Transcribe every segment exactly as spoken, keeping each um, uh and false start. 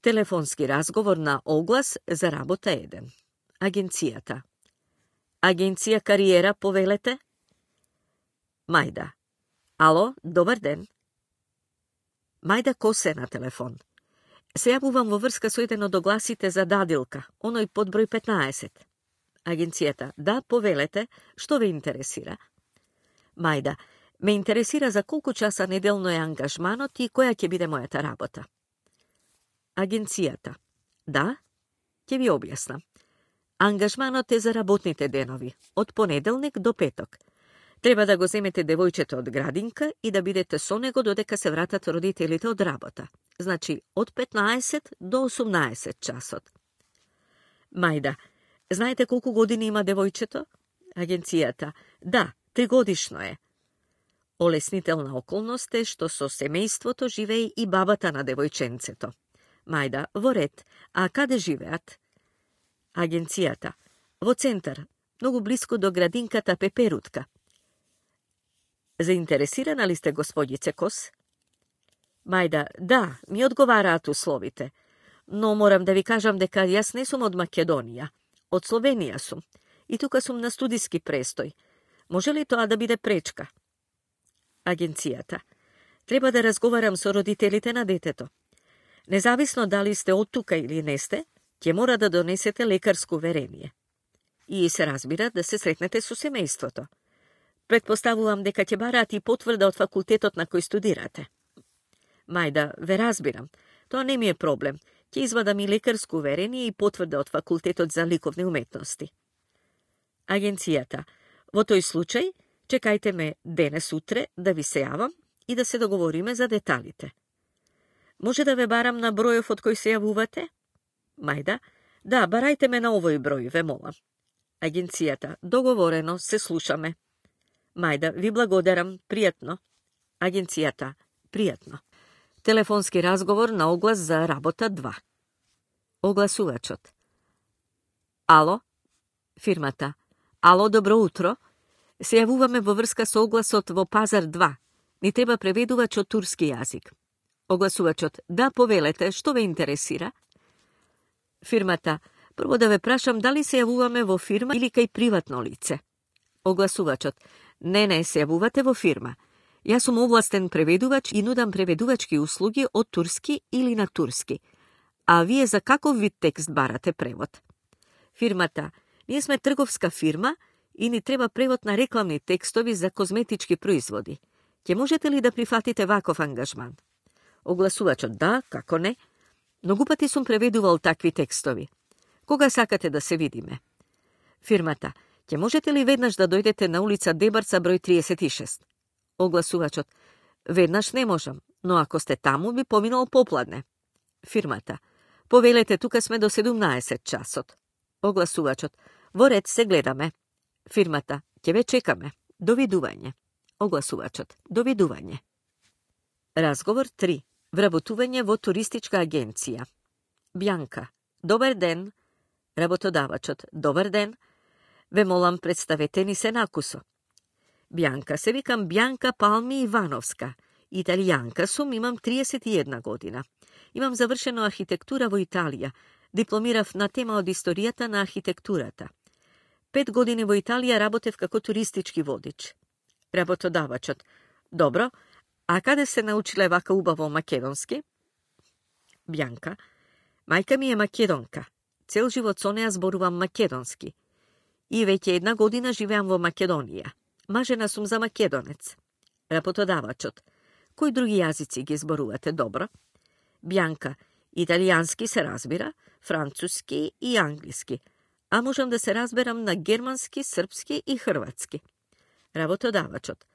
Телефонски разговор на оглас за работа еден. Агенцијата. Агенција Кариера, повелете? Мајда. Ало, добар ден. Мајда Косе на телефон. Се јавувам во врска со еден од огласите за дадилка, оној под број петнаесет. Агенцијата. Да, повелете, што ве интересира? Мајда. Ме интересира за колку часа неделно е ангажманот и која ќе биде мојата работа. Агенцијата. Да, ќе ви објаснам. Ангажманот е за работните денови, од понеделник до петок. Треба да го земете девојчето од градинка и да бидете со него додека се вратат родителите од работа. Значи, од петнаесет до осумнаесет часот. Мајда, знаете колку години има девојчето? Агенцијата. Да, тригодишно е. Олеснителна околност е што со семејството живее и бабата на девојченцето. Мајда, во ред, а каде живеат? Агенцијата. Во центар, многу блиску до градинката Пеперутка. Заинтересирана ли сте, господице Кос? Мајда, да, ми одговараат условите. Но морам да ви кажам дека јас не сум од Македонија. Од Словенија сум. И тука сум на студиски престој. Може ли тоа да биде пречка? Агенцијата. Треба да разговарам со родителите на детето. Независно дали сте од тука или не сте, ќе мора да донесете лекарско уверение. И се разбира да се сретнете со семејството. Предпоставувам дека ќе бараат и потврда од факултетот на кој студирате. Мајда, ве разбирам. Тоа не ми е проблем. Ќе извадам и лекарско уверение и потврда од факултетот за ликовни уметности. Агенцијата. Во тој случај, чекајте ме денес утре да ви се јавам и да се договориме за деталите. Може да ве барам на бројов од кој се јавувате? Мајда, да, барајте ме на овој број, ве молам. Агенцијата, договорено, се слушаме. Мајда, ви благодарам, пријатно. Агенцијата, пријатно. Телефонски разговор на оглас за работа два. Огласувачот. Ало? Фирмата. Ало, добро утро. Се јавуваме во врска со огласот во Пазар два. Ни треба преведувач од турски јазик. Огласувачот. Да, повелете, што ве интересира? Фирмата. Прво да ве прашам дали се јавуваме во фирма или кај приватно лице. Огласувачот. Не, не, се јавувате во фирма. Јас сум овластен преведувач и нудам преведувачки услуги од турски или на турски. А вие за каков вид текст барате превод? Фирмата. Ние сме трговска фирма и ни треба превод на рекламни текстови за козметички производи. Ќе можете ли да прифатите ваков ангажман? Огласувачот. Да, како не. Многу пати сум преведувал такви текстови. Кога сакате да се видиме? Фирмата. Ќе можете ли веднаш да дојдете на улица Дебарца број триесет и шест? Огласувачот. Веднаш не можам, но ако сте таму би поминал попладне. Фирмата. Повелете, тука сме до седумнаесет часот. Огласувачот. Во ред, се гледаме. Фирмата. Ќе ве чекаме. Довидување. Огласувачот. Довидување. Разговор три. Вработување во туристичка агенција. Бјанка. Добар ден. Работодавачот. Добар ден. Ве молам, представете ни се накусо. Бјанка. Се викам Бјанка Палми Ивановска. Италијанка сум, имам триесет и една година. Имам завршено архитектура во Италија. Дипломирав на тема од историјата на архитектурата. Пет години во Италија работев како туристички водич. Работодавачот. Добро. А каде се научиле вака убаво македонски? Бјанка. Мајка ми е македонка. Цел живот со неа зборувам македонски. И веќе една година живеам во Македонија. Мажена сум за македонец. Работодавачот. Кои други јазици ги зборувате добро? Бјанка. Италијански се разбира, француски и англиски. А можам да се разберам на германски, српски и хрватски. Работодавачот.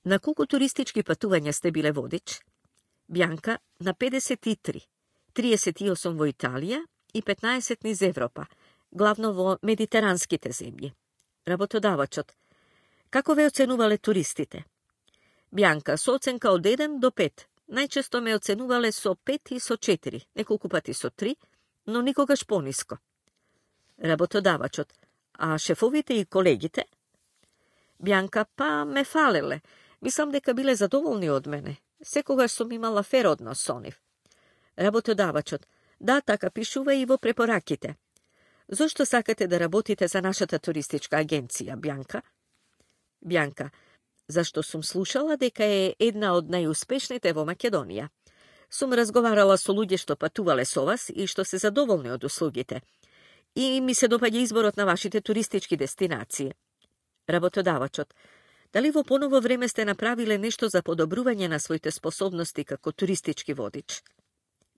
На колку туристички патувања сте биле водич? Бјанка. На педесет и три. триесет и осум во Италија и петнаесет низ Европа, главно во медитеранските земји. Работодавачот. Како ве оценувале туристите? Бјанка. Со оценка од еден до пет. Најчесто ме оценувале со пет и со четири, неколку пати со три, но никогаш пониско. Работодавачот. А шефовите и колегите? Бјанка. Па ме фалеле. Мислам дека биле задоволни од мене. Секогаш сум имала фер однос со нив. Работодавачот. Да, така пишува и во препораките. Зошто сакате да работите за нашата туристичка агенција, Бјанка? Бјанка, зашто сум слушала дека е една од најуспешните во Македонија. Сум разговарала со луѓе што патувале со вас и што се задоволни од услугите. И ми се допаѓа изборот на вашите туристички дестинации. Работодавачот, дали во поново време сте направиле нешто за подобрување на своите способности како туристички водич?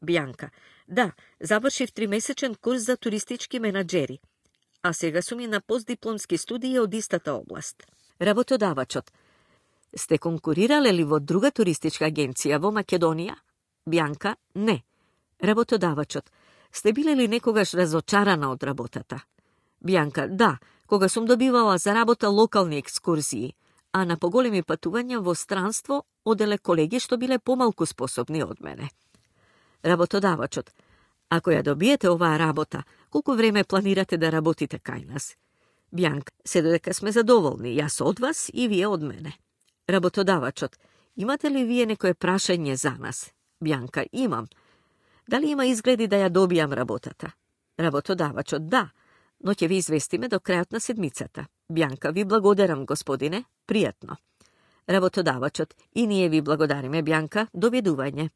Бјанка, да, завршив тримесечен курс за туристички менаџери, а сега сум и на постдипломски студии од истата област. Работодавачот, сте конкурирале ли во друга туристичка агенција во Македонија? Бјанка, не. Работодавачот, сте биле ли некогаш разочарана од работата? Бјанка, да, кога сум добивала за работа локални екскурзии, а на поголеми патувања во странство оделе колеги што биле помалку способни од мене. Работодавачот, ако ја добиете оваа работа, колку време планирате да работите кај нас? Бјанка, се додека сме задоволни, јас од вас и вие од мене. Работодавачот, имате ли вие некое прашање за нас? Бјанка, имам. Дали има изгледи да ја добијам работата? Работодавачот, да, но ќе ви известиме до крајот на седмицата. Бјанка, ви благодарам, господине, пријатно. Работодавачот, и ние ви благодариме, Бјанка, доведување.